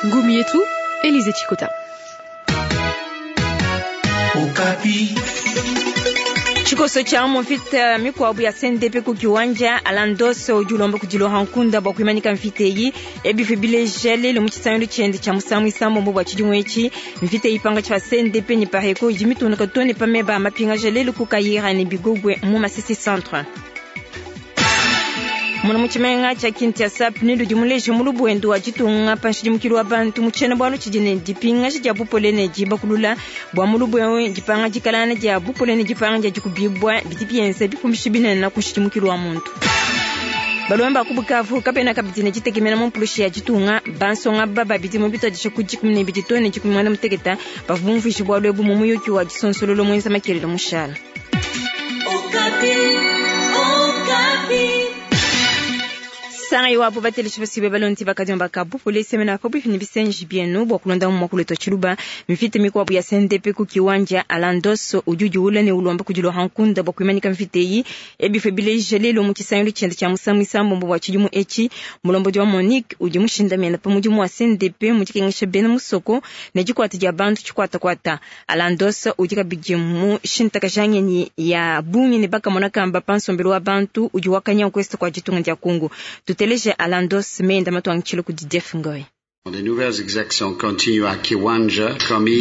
Ngumi yetu Elize Chikota. Okapi. Tshikoso tshia mu mvita mikuabu ya CNDP ku kiwanja Alandos udi ulomba kudi Laurent Nkunda bua kuimanyika mvita eyi. Ebi bileja lelu mu tshisangilu tshiende tshia musangu isambombo bua tshidimu etshi. Mvita eyi pankatshi pa CNDP ne Pareco idi mitunduka too ne pa meba a mapingaja lelu ku Kayira ne Bigogwe mu Masisi Centre. Muna mu tshimenga tshia Kinshasa, PNUD udi muleje mu lubuendu wa ditunga pa nshidimukilu wa bantu mu tshiena-bualu tshidi ne dipingaja dia bupole ne dibakulula bua mu lubuendu, dipanga dikalana dia bupole ne dipanga dia dikubibua bidi bienza bipumbishi binene ku nshidimukilu wa muntu. Balomba ba ku Bukavu kabena kabidi ne ditekemena mu mpulushi ya ditunga. Bansonga aba ba bidimu bituadije ku 12 too ne 18 bavua bumvuije bualu ebu mu muyuki wa disonsololo muenza makelela mushala. Sanga iwapo bateleshi basibe balonzi bakadiomba ka bupole semena pabuipi ne bisenji bienu bua kulonda mu muakulu wetu wa tshiluba. Mvita mikuabu ya CNDP ku kiwanja Alandos udi udiwula ne ulomba kudi Laurent Nkunda bua kuimanyika mvita eyi. Ebi bileja lelu mu tshisangilu tshiende tshia musangu isambombo bua tshidimu etshi. Mulombodi wa Monique udi mushindamena pa mudimu wa CNDP mu dikengesha bena musoko ne dikuata dia bantu tshikuatakuata. Alandos udi kabidi mushintakaja ngenyi ya bungi ne bakamona kamba pa nsombelu wa bantu udi wakanya ku est kua ditunga dia Congo. Tuteleje Alandos menda matuangitshile kudi Jeff Ngoy.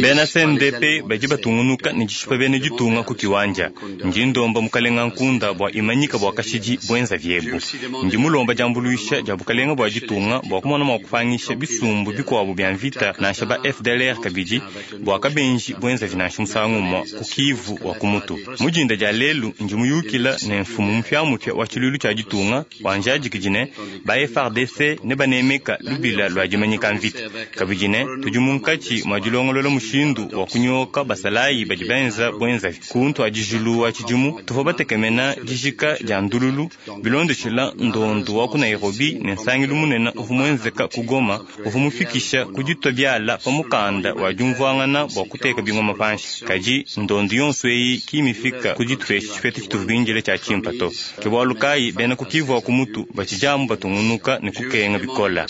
Bena CNDP badi batungunuka ne dishipa bena ditunga ku kiwanja. Ndi ndomba mukalenga Nkunda bua imanyika bua kashidi buenza viebu. Ndi mulomba diambuluisha dia bukalenga bua ditunga bua kumona mua kupangisha bisumbu bikuabu bia mvita nansha ba FDLR kabidi bua kabenji buenza nansha musangu umue ku Kivu wa kumutu. Mu dinda dia lelu ndi muyukila ne mfumu mupiamupia wa tshiluilu tshia ditunga wanjadikidi ne ba FARDC ne banemeka lubila lua dimanyika mvita. Kabidi ne tudi munkatshi mua dilongolola mushindu wa kunyoka basalayi badi benza buenzavi. Ku ntuadijilu wa tshidimu tuvua batekemena dijika dia ndululu bilondeshila ndondu wa ku Nairobi ne nsangilu munene uvua muenzeka ku Goma uvua mufikisha ku ditua biala pa mukanda wa diumvuangana bua kuteka bingoma panshi. Kadi ndondu yonso eyi ki mifika ku ditupesha tshipeta tshituvua bindile tshia tshimpa to. Ke bualu kayi bena ku Kivu wa kumutu batshidiamu batungunuka ne kukenga bikola.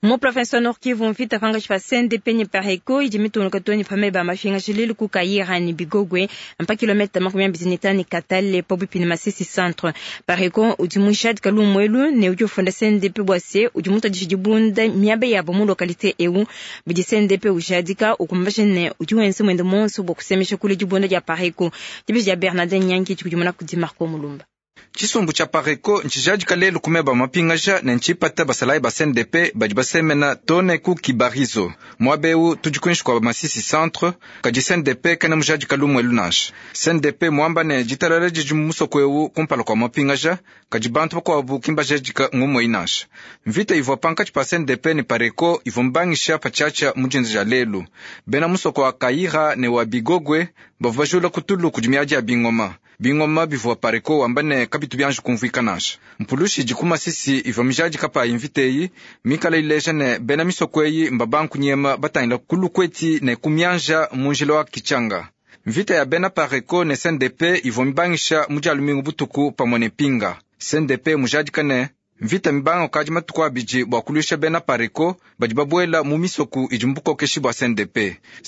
Mu province wa Nord Kivu mvita pankatshi pa CNDP ne Pareco idi mitungunuka too ne pa meba a mapingaja lelu ku Kayira ne Bigogwe mpa kilometa 25 Katale pabuipi ne Masisi Centre. Pareco udi mujadika lumu elu ne udi ufunda CNDP bua se udi mutuadije dibunda miaba yabo mu localité eu. Bidi CNDP ujadika ukumbaja ne udi wenza muende muonso bua kusemesha kule dibunda dia Pareco. Dibeji dia Bernardin Nyangi dikudimuna kudi Marco Mulumba. Tshisumbu tshia Pareco ntshijadika lelu ku meba mapingaja ne ntshipata basalayi ba CNDP badi basemena too ne ku Kibarizo. Muaba eu tudi kuinshi kua Masisi Centre, kadi CNDP kena mujadika lumu elu nansha. CNDP muamba ne ditalala didi mu musoko eu kumpala kua mapingaja, kadi bantu bakuabu ki mbajadika ngumu eyi nansha. Mvita ivua pankatshi pa CNDP ne Pareco ivua mbangisha patshiatshia mu dinda dia lelu. Bena musoko wa Kayira ne wa Bigogwe bavua bajula ku tulu kudi miadi ya bingoma. Bingoma bivua Pareco wamba ne kabitu bianji kumvuika nansha. Mpulushi idi ku Masisi ivua mijadika payi mvita eyi mikala ileja ne bena misoko eyi mbabankunyema batangila ku Lukweti ne ku Mianja mu njila wa Kichanga. Mvita ya bena Pareco ne CNDP ivua mibangisha mu dia lumingu butuku pamue ne Pinga. CNDP mujadika ne mvita mibanga kukadi matuku abidi bua kuluisha bena Pareco badi babuela mu misoku idi mu bukokeshi bua CNDP.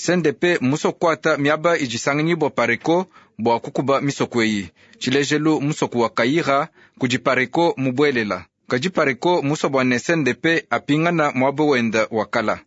CNDP mmusue kukuata miaba idi isanganyibua Pareco bua kukuba misoku eyi. Tshilejelu musoku wa Kayira kudi Pareco mubuelela. Kadi Pareco musue bua ne CNDP apingana muaba wenda wa kala.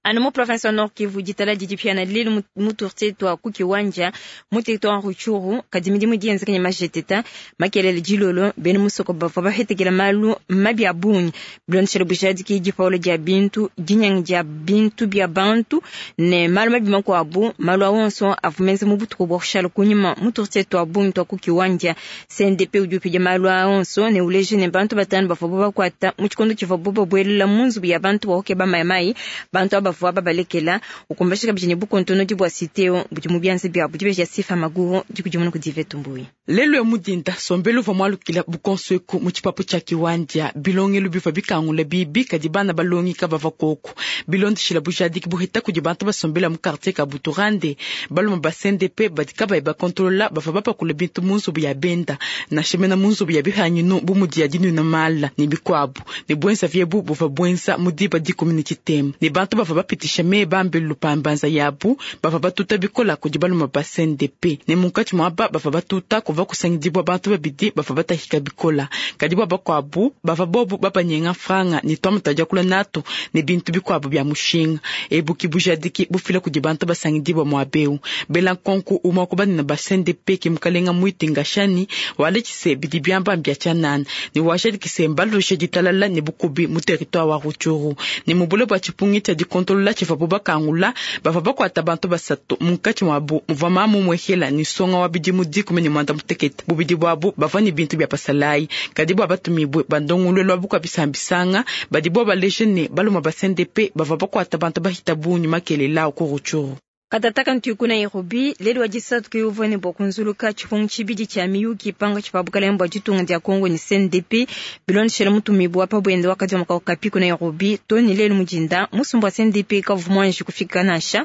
Anu mu province wa Nord Kivu ditala didi piana lelu mu quartier tua ku Kiwanja mu territoire Rutshuru kadi midimu idi yenzeka ne majeteta makelele dilolo bena musoko bavua bahetekela malu mabi a bungi bilondeshele bujadiki dipawula dia bintu dinyangi dia bintu bia bantu ne malu mabi makuabu. Malu a onso avua menza mu butuku bua kushala kunyima mu quartier tua bungi tua ku Kiwanja. CNDP udi upidia malu a onso ne uleja ne bantu batanu bavua bakuata mu tshikondo tshivuabu babuelela mu nzubu ya bantu bua kukeba mayi mayi. Bantu aba kabavua babalekela. Ukumbashi kabidi ne bukontonodi bua site eu budi mu bianza biabu. Dibeji ya Sifa Maguru dikudimuna kudi Yvette Mbuyi. Lelu ya mudinda sombelu uvua mualukila bukonso eku mu tshipapu tshia Kiwanja. Bilongelu bivua bikangula bibi kadi bana balongi kabavua koku. Bilondeshila bujadiki buheta kudi bantu basombela mu quartier ka Buturande. Balume ba CNDP badi kabayi bakontolola bavua bapakula bintu mu nzubu ya benda nansha mena mu nzubu ya bihanyinu bu mudi ya dinwina mala ne bikuabu. Ne buenza viebu buvua buenza mu diba dikumi ne tshitema. Ne bantu bavua bapitisha meba mbelu pa mbanza yabu bavua batuta bikola kudi balume ba CNDP. Ne munkatshi muaba bavua batuta kuvua kusangidibua bantu babidi bavua batahika bikola. Kadi bua bakuabu bavua bobu babanyenga franga ne tuamuta diakula natu ne bintu bikuabu bia mushinga. Ebu ki bujadiki bufila kudi bantu basangidibua muabeu. Bela nkonku umua kubanena ba CNDP ke mukalenga Mwiti Ngashani walekise bidi biamba mbia tshianana ne wajadikise mbalushe ditalala ne bukubi mu territoire wa Rutshuru. Ne mubule bua tshipungi tshia dikontolola tshivuabu bakangula bavua bakuata bantu basatu munkatshi muabu muvua mamu muehela ne songa wa bidimu 19. Bubidi buabu bavua ne bintu bia pasalayi kadi bua batumibue bandongoluelu abu kwa bisambisanga badi bua baleje ne balume ba CNDP bavua bakuata bantu bahita bungi makelela ku Rutshuru. Katataka ntuku Nairobi lelu wa disatu ke uvua ne bua kunzuluka tshipungu tshibidi tshia miyuki panga tshipa bukalenga bua ditunga dia Congo ne CNDP bilondeshela mutumibue wa pa buende wakadi wa Okapi ku Nairobi to ne lelu mudinda musumba wa CNDP kavua muanji kufika nansha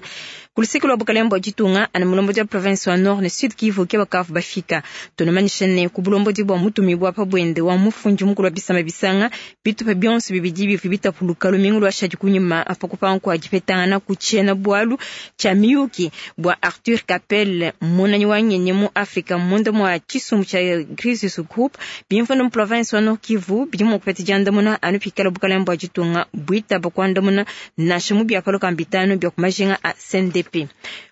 ku luseke lua bukalenga bua ditunga ana mulombodi wa province wa Nord ne Sud Kivu ke bakavu bafika. Tunamanyisha ne ku bulombodi bua mutumibue wa pa buende wa mufundi mukulu wa bisamba bisanga bitupa bionso bibidi bivua bitapuluka lumingu lua shadi kunyima pa kupanga kua dipetangana ku tshiena bualu tshia miyuki bua Arthur Capel munanyi wa ngenyi mu Afrika munda mua tshisumbu tshia Crisis Group bimvua mu province wa Nord Kivu bidi mua kupeta diandamuna anu pikala bukalenga bua ditunga buitaba kuandamuna nansha mu biapalo bitanu bia ku majinga a CNDP.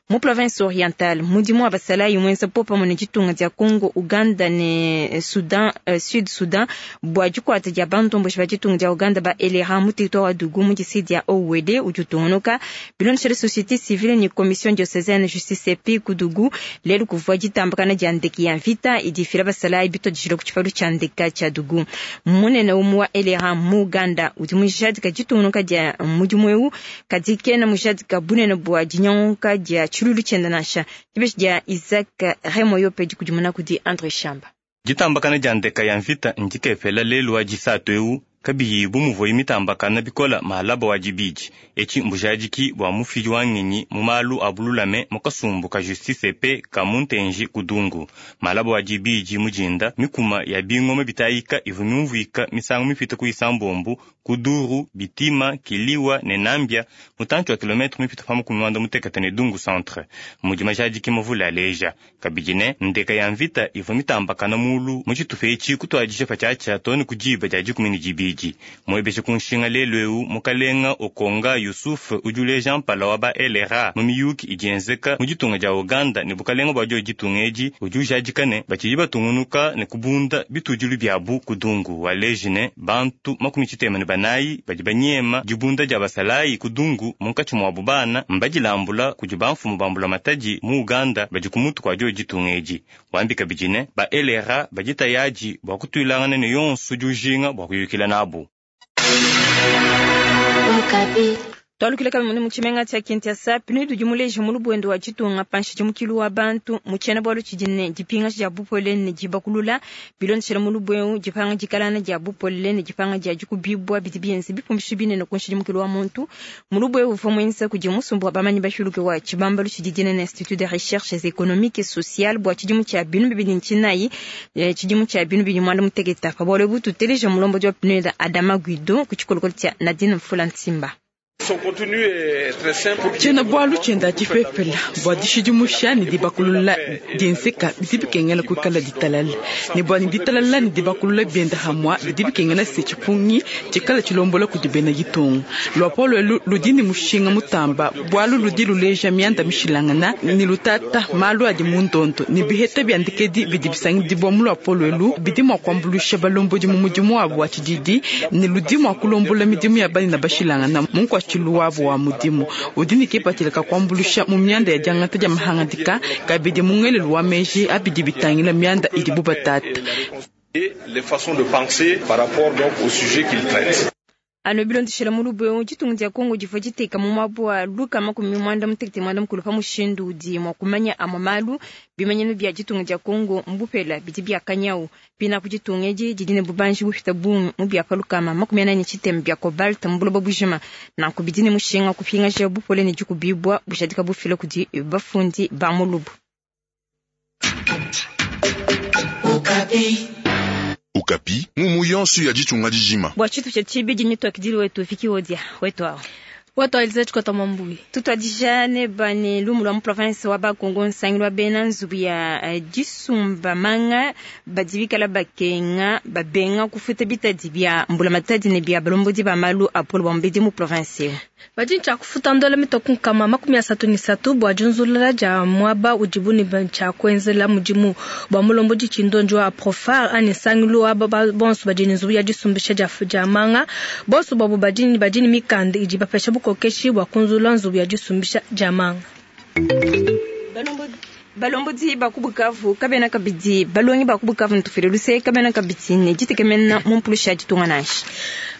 Mu province orientale mudimu wa basalayi mwenza popa mune ditunga dia Congo, Uganda ne Sudan, Sud Sudan bua dikuata dia bantomboshi ba ditunga dia Uganda ba LRA mu territoire wa Dugu mu district dia Owede udi utungunuka. Bilondeshela société civile ne commission diocésaine justice epi ku Dugu lelu kuvua ditambakana dia ndeke ya mvita idi ifila basalayi bituadijila ku tshipalu tshia ndeka tshia Dugu. Munene umue wa LRA mu Uganda udi mujadika ditungunuka dia mudimu eu kadi kena mujadika bunene bua dinyanguka dia tshilulu tshienda nansha. Dibeji dia Isaac Remoyo pe dikudimuna kudi André Shamba. Ditambakana dia ndeka ya mvita ndikepela lelu wa disatu eu kabiyi bu muvua mitambakana bikola mahalaba wa dibidi. Etshi mbujadiki bua mufidi wa ngenyi mu malu a bululame mu kasumbu ka justice pe ka muntenji kudungu. Mahalaba wa dibidi mujinda mikuma ya bingoma bitayika ivua miumvuika misangu mipite ku isambombu kuduru bitima kiliwa ne nambia mutantshi wa kilometre mipite pa makumi manda mutekete ne dungu centre. Mudi majadiki mavule aleja kabidi ne ndeka ya mvita ivua mitambakana mulu mu tshitupa etshi kutuadija patshiatshia too ne ku diba dia 12. Mwebeshe kunshinga lelu eu mukalenga Okonga Yusuf udi uleja mpala wa ba LRA mu miyuki idi yenzeka mu ditunga dia Uganda ne bukalenga bua dio ditunga edi udi ujadika ne batshidi batungunuka ne kubunda bitudilu biabu kudungu. Waleji ne bantu 94 badi banyema dibunda dia basalayi kudungu munkatshi muabu bana mbadilambula kudi bamfumu bambula matadi mu Uganda badi ku mutu kua dio ditunga edi. Wambi kabidi ne ba LRA badi tayadi bua kutuilangana ne yonso udi ujinga bua kuyukila nabu. Twalukila kabidi mu tshimenga tshia Kinshasa PNUD udi muleje mu lubuendo wa ditunga panshi dimukilu wa bantu mu tshiena bualu tshidi ne dipingaja dia bupole ne dibakulula bilondeshela mu lubuengu dipanga dikalana dia bupole ne dipanga dia dikubibua bidi bienze bipumbishi binene ku nshidimukilu wa muntu mu lubuengu uvua muenza kudi musumbu wa bamanyi bashiluke wa tshibambalu tshidi dinene Institut de Recherches Economiques et Sociales bua tshidimu tshia 2009 tshidimu tshia 2018 pa bualu ebu tuteleja mulombodi wa PNUD Adama Guido ku tshikolokolo tshia Nadine Mfula Nsimba. Tshiena bualu tshienda tshipepela bua dishidimusha ne dibakulula dienzeka bidi bikengela kuikala ditalala ne bua ne ditalala ne dibakulula bienda hamua bidi bikengela se tshipungi tshikala tshilombola kudi bena ditunga. Luapolo elu ludi ne mushinga mutamba bualu ludi luleja mianda mishilangana ne lutata malu adi mu ndondo ne biheta biandikedi bidi bisangidibua mu luapolo elu bidi mua kuambuluisha balombodi mu mudimu wabu wa tshididi ne ludi mua kulombola midimu ya banene bashilangana mu nkuatshilu wabu wa mudimu udi ne kipatshila ka kuambuluisha mu mianda ya diangata dia mahangadika kabidi mu ngelelu wa meji abidi bitangila mianda idi bu batata. Et les façons de penser par rapport donc au sujet qu'il traite. Ano bilondeshela mulubu eu ditunga dia Kongo divua diteka mu muaba wa 260 pa mushindu udi mua kumanya amue malu bimanyinu bia ditunga dia Kongo mbupela bidi bia kanyau pinapu ditunga edi didi ne bubanji bupita bungi mu bia pa 43 bia cobalt mu buloba bujima nanku bidi ne mushinga kupingaja bupole ne dikubibua bujadika bufila kudi bafundi ba mulubu. Okapi, mumu yonso ya ditunga dijima. Bua tshitu tshia tshibidi ne tuakidili wetu fiki odia wetu awo. Wetu alize chikota mambuyi. Tutwadijane bane lumu lwa mu province wa Bakongo nsangilu wa bena nzubu ya disumba manga badibikala bakenga babenga kufuta bitadi bia mbula matadi ne bia balombodi ba malu apolo bambedi mu province eu. Badi ntsha kufuta ndola mitoku nkama 33 bua junzulula ja mwaba udibu ne ntsha kuenzela mudimu bua mulombodi tshindonjo wa profar ani nsangilu wa bonso badi ne nzubu ya disumbisha ja manga bonso babo badi ne mikanda idi bapesha bukokeshi bua kunzula nzubu ya disumbisha ja manga. Balombodi bakubukavu kabena kabidi balongi bakubukavu ntufile luse kabena kabidi ne ditekemena mu mpulusha ditunga nansha.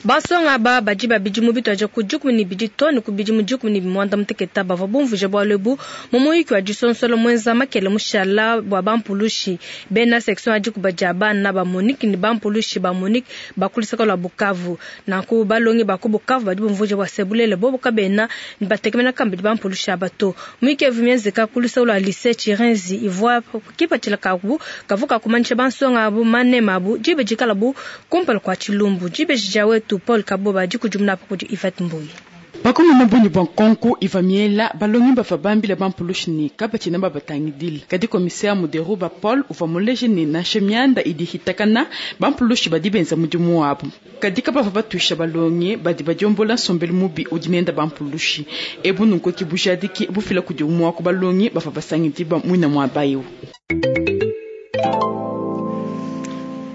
Basonga ba badi babidi mu bitwaje ku 12 toni ku bidimu 18 bava bumvuje bwalu ebu mu muyiki wa disonsolo mwenza makele mushala bwa bampulushi bena section adi kubaja bana ba Monique ni bampulushi ba Monique bakulisaka lwa Bukavu nanku balongi ba ku Bukavu badi bumvuje bwa sebulele bobo kabena ni batekemena kambidi bampulushi abato muyiki evu myenzeka kulisa lwa lycée Chirenzi ivwa kipatshila kabu kavuka kumanisha bansonga abu manema abu jibe jikala bu kumpala kwa chilumbu jibe jijawetu Paul Kaboba dikujumna hapo kudi Yvette Mbuyi. Bakoma mabonyi bwa nkonko ivamiela balongi bafa bambila bampulushi ni kabatina babatangidile kadi commissaire Muderuba Paul uva muleje ni nansha mianda idi hitakana bampulushi badi benza mudimu wabu kadi kabava batusha balongi badi badiombola nsombelu mubi udi nenda bampulushi ebu nunku kibujadiki bufila kudi umwa ku balongi bafa basangidi ba mwina mwa bayiwu.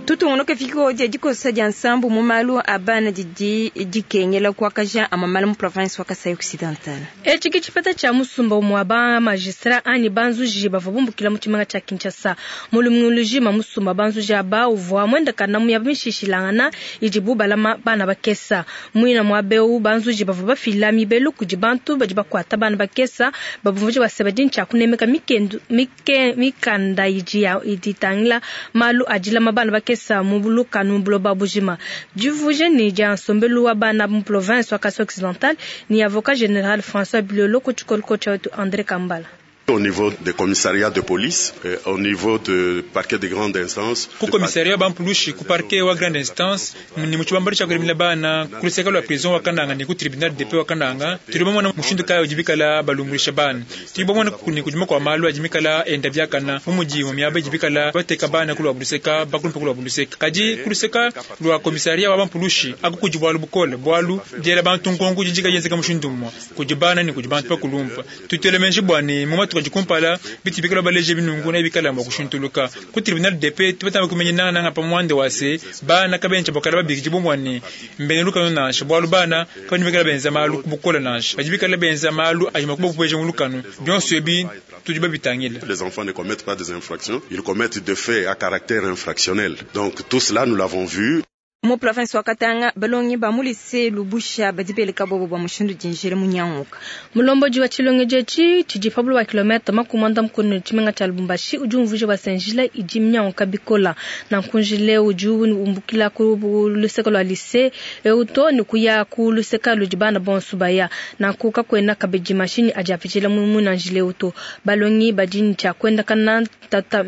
Tutungunuke fiko dia dikosa dia nsambu mu malu abana didi dikengela kuakaja amamala mu province wa Kasai Occidental. Echi kichipata cha musumba umwa ba magistrat ani banzuji bava bumbukila mu tshimanga tsha Kinshasa. Mulumuluji ma musumba banzuji aba uvua mwenda kana mu yabimishishilangana idi bubalama bana bakesa. Mwina mwa beu banzuji bava bafila mibelu kudi bantu badi bakwata bana bakesa babumvuji baseba dintsha kunemeka mikendu mike mikanda idi ya iditangila malu adila mabana bakesa mubuluka nubuloba bujima. Divuje ni dia nsombelu wa bana mu province wa Kasai Occidental ni avocat général François Bilolo kuchikolko cha wetu André Kambala. Au niveau des commissariats de police, au niveau de parquet de grande instance. Ku commissariat bampulushi ku parquet wa grande instance ni muchibambari cha kurimila bana kuliseka lwa prison wa Kananga ni ku tribunal de paix wa Kananga tulibomona mushindu kayo jibikala balungulisha bana tulibomona kuni kujima kwa malu ajimikala enda byakana mu muji mu myaba jibikala bateka bana kulwa buluseka bakulumpa kulwa buluseka kaji kuliseka lwa commissariat wa bampulushi akukujibwalu bukole bwalu jela bantu nkonku jijika yenzeka mushindu mwa kujibana ni kujibantu pakulumpa tutelemenje bwani mu matuka kumpala bitibikala baleje binungu na bikala mwa kushintuluka ku tribunal de paix tubatamba kumenya nanga nanga pa mwande wase bana kabencha bakala babiki jibomwane mbene lukano nasha bwalu bana kabani bikala benza malu kubukola nasha bajibikala benza malu ajima kuba kupeje mulukano byonso ebi tujiba bitangila. Les enfants ne commettent pas des infractions, ils commettent des faits à caractère infractionnel. Donc tout cela nous l'avons vu. Mu province wa Katanga balongi ba mulise lubusha badibeleka bobo ba mushindu dinjere munyanguka. Mulomboji wa chilongeje chi chiji pablo wa kilomita makumanda mkono chimenga cha Lubumbashi uju mvuje wa Senjila iji mnyanguka bikola na nkunjile uju umbukila ku luseka lwa lycée euto ni kuya ku luseka lujibana bonsu baya na kuka kwena kabeji mashini ajapichila mumu na njile uto balongi badini cha kwenda kana tata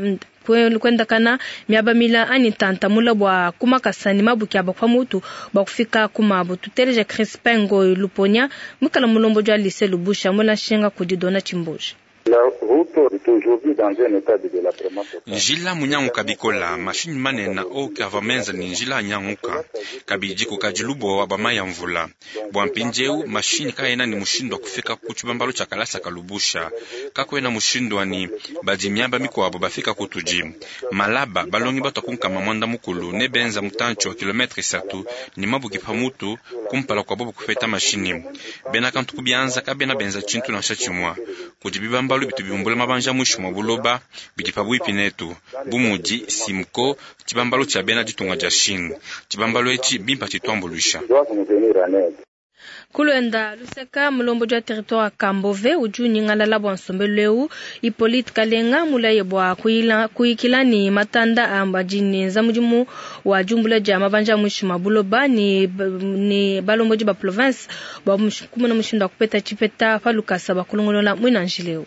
kwenda kana miaba mila ani tanta mula bwa kumakasani mabuki aba kwa mutu bwa kufika kumabu tuteleja Crispin Ngoy Luponya mukala mulombo jwa lycée Lubusha mula shenga kudidona chimbuji. Njila munyanguka bikola mashini manena oke ava menza ni njila anyanguka kabidi kukajilubo wa bamaya mvula bwa mpinjeu mashini kaena ni mushindu wa kufika ku tshibambalo tshia kalasa kalubusha kakwena mushindu wani badi miaba mikuabo bafika kutuji malaba balongi bato kunkama mwanda mukulu ne benza mutancho wa kilometre 3 ni mabuki pa mutu kumpala kwa bobo kufeta mashini bena kantu kubianza kabena benza chintu na shachimwa kudi bibambalo Bibambalu bitu biumbula mabanji a muinshi mua buloba bidi pabuipi netu, bu mudi Simco, tshibambalu tshia bena ditunga dia Chine. Tshibambalu etshi bimpa tshituambuluisha. Kulwenda luseka mulombodi wa territoire wa Kambove udi unyingalala bua nsombelu eu. Hippolyte Kalenga mulaye bua kuyikila ne matanda a badi nenza mudimu wa diumbula dia mabanji a muinshi mua buloba ne balombodi ba province bua kumona mushindu wa kupeta tshipeta pa lukasa bua kulongolola muina njila eu.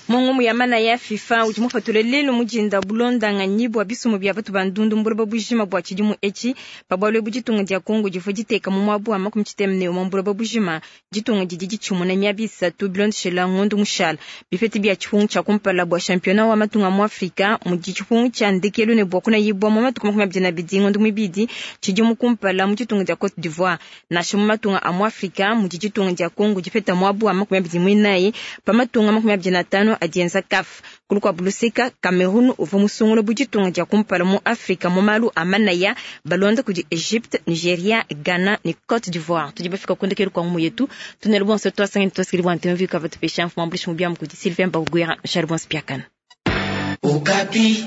Mu ngumu ya manaya ya FIFA udi mupatule lelu mu dinda bulondanganyi bua bisumbu bia batu ba ndundu mu buloba bujima bua tshidimu etshi. Pa bualu ebu ditunga dia Congo divua diteka mu muaba wa 61 mu buloba bujima. Ditunga didi ditshimuna miaba isatu bilondeshela ngondo mushala. Bipeta bia tshipungu tshia kumpala bua championnat wa matunga mu Afrika mudi tshipungu tshia ndekelu ne bua kunayibua mu matuku 22 ngondo muibidi tshidimu kumpala mu ditunga dia Cote d'Ivoire. Nansha mu matunga a mu Afrika mudi ditunga dia Congo dipeta muaba wa 24 pa matunga 25 adienza CAF. Kulu kwa buluseka Cameroon uvua musungula bu ditunga dia kumpala mu Afrika mu malu a manaya balonda kudi Egypte, Nigeria, Ghana ne Cote d'Ivoire. Tudi bafika kundekelu kwa ngumu yetu. Tunelu bonso twasangani twasikili bwa ntemvi kava tupesha mfumu ambulishi mubiamu kudi Sylvain Bagwera, Charles Bonspiakana. Okapi.